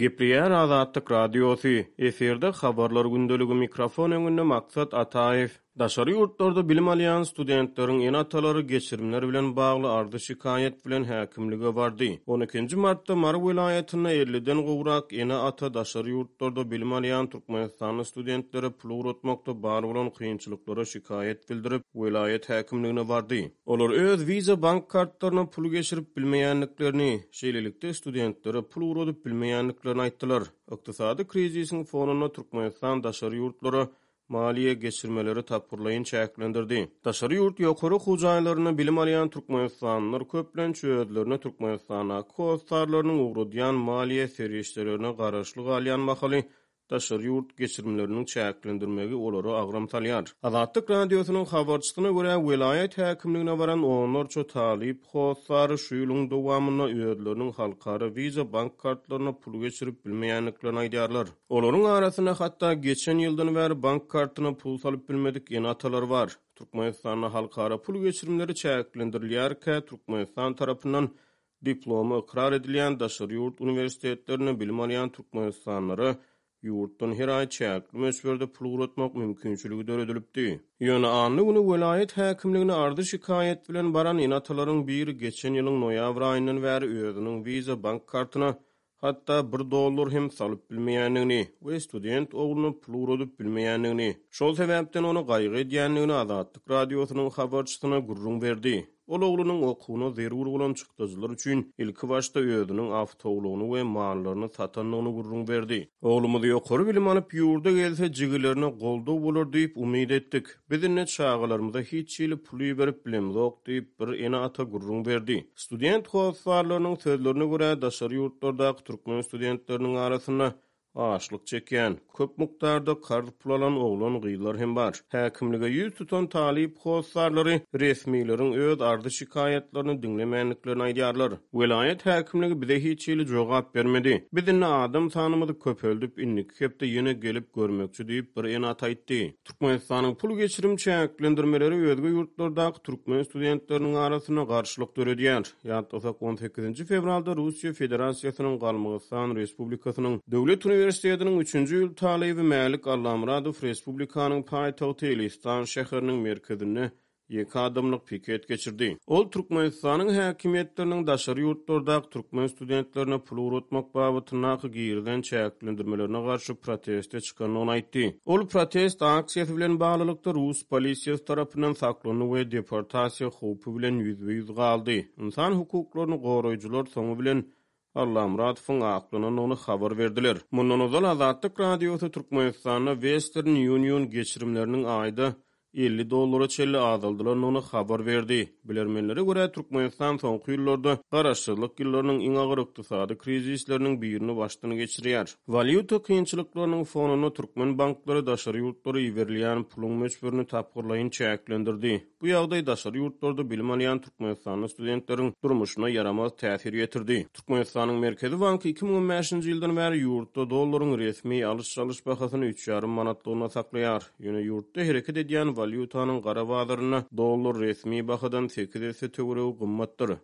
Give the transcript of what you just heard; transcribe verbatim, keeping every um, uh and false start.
Gepleýär Azatlyk Radiosy, efirde Habarlar gündeligi, mikrofon öňünde Maksat Ataýew. Daşary ýurtlarda bilim alýan studentleriň ene-atalary geçirimler bilen bagly arzy-şikaýat bilen häkimlige bardy. On ikinji martda Mary welaýatynda elliden gowrak ene-ata daşary ýurtlarda bilim alýan türkmenistanly studentlere pul ugratmakda bar bolan kynçylyklara şikaýat bildirip, welaýat häkimligine bardy. Olar öz Visa bank kartlaryna pul geçirip bilmeýändiklerini, şeýlelikde studentlere pul ugradyp bilmeýändiklerini aýtdylar. Ykdysady krizisiň fonunda Türkmenistan daşary ýurtlara maliýe geçirmeleri tapgyrlaýyn çäklendirdi. Daşary ýurt ýokary okuw jaýlarynda bilim alýan türkmenistanlylar köplenç özlerine Türkmenistandaky hossarlarynyň ugradýan maliýe serişdelerine garaşly galýan mahaly daşary ýurt geçirimleriniň çäklendirmegi olara agram salýar. Azatlyk Radiosynyň habarçysyna görä, welaýat häkimligine baran onlarça talyp hossary şu ýylyň dowamynda özleriniň halkara Visa bank kartlaryna pul geçirip bilmeýändiklerini aýdýarlar. Olaryň arasynda hatda geçen ýyldan bäri bank kartyna pul salyp bilmedik ene-atalar bar. Türkmenistanda halkara pul geçirimleri çäklendirilýärkä, Türkmenistan tarapyndan diplomy ykrar edilýän daşary ýurt uniwersitetlerinde bilim alýan türkmenistanlylara ýurtdan her aý çäkli möçberde pul ugratmak mümkinçiligi döredilipdi. Ýöne anna güni welaýat häkimligine arzy-şikaýat bilen baran ene-atalaryň biri geçen ýylyň noýabr aýyndan bäri özüniň Visa bank kartyna hatda bir dollar hem salyp bilmeýändigini we student ogluna pul ugradyp bilmeýändigini, şol sebäpden ony gaýgy edýändigini Azatlyk Radiosynyň habarçysyna gürrüň berdi. Ol oglunyň okuwyna zerur bolan çykdajylar üçin ilkibaşda özüniň awtoulagyny we mallaryny satandygyny gürrüň berdi. Oglumyz ýokary bilim alyp ýurda gelse jigilerine goldaw bolar diýip umyt etdik. Biz indi çagalarymyza hiç hili pul iberip bilemzok diýip, bir ene-ata gürrüň berdi. Student hossarlarynyň sözlerine görä, daşary ýurtlardaky türkmen studentleriniň arasynda açlyk çekýän, köp mukdarda karz pul alan oglan-gyzlar hem bar. Häkimlige ýüz tutan talyp hossarlary resmileriň öz arzy-şikaýatlaryny diňlemändiklerini aýdýarlar. Welaýat häkimligi bize hiç hili jogap bermedi. Biz indi adam sanymyzy köpeldip, indiki hepde ýene gelip görmekçi diýip, bir ene-ata aýtdy. Türkmenistanyň pul geçirim çäklendirmeleri özge ýurtlardaky türkmen studentleriniň arasynda garşylyk döredýär. Ýatlasak, on sekizinji fewralda Russiýa Federasiýasynyň Galmygystan Respublikasynyň Döwlet uniwersitetiniň üçünji ýyl talyby Mälik Allamyradow respublikanyň paýtagty Elistan şäheriniň merkezinde ýeke adamlyk piket geçirdi. Ol Türkmenistanyň häkimiýetleriniň daşary ýurtlardaky türkmen studentlerine pul ugratmak babatyndaky girizen çäklendirmelerine garşy proteste çykandygyny aýtdy. Ol protest aksiýasy bilen baglylykda rus polisiýasy tarapyndan saklandy we deportasiýa howpy bilen ýüzbe-ýüz galdy. Ynsan hukuklaryny goraýjylar soňy bilen Allamyradowyň aklanandygyny habar berdiler. Mundan ozal Azatlyk Radiosy Türkmenistanda Western Union geçirimleriniň aýda elli dollara çenli azaldylandygyny habar berdi. Bilermenlere görä, Türkmenistan soňky ýyllarda garaşsyzlyk ýyllarynyň iň agyr ykdysady krizisleriniň birini başdan geçirýär. Walýuta kynçylyklarynyň fonunda türkmen banklary daşary ýurtlara iberilýän puluň möçberini tapgyrlaýyn çäklendirdi. Bu ýagdaý daşary ýurtlarda bilim alýan türkmenistanly studentleriň durmuşyna ýaramaz täsir ýetirdi. Türkmenistanyň Merkezi banky iki müň on bäşinji ýyldan bäri ýurtda dollaryň resmi alyş-çalyş bahasyny üç ýarym manatlygyna saklaýar. Ýöne ýurtda hereket edýän walýutanyň gara bazarynda dollar resmi bahadan sekiz esse töweregi gymmatdyr.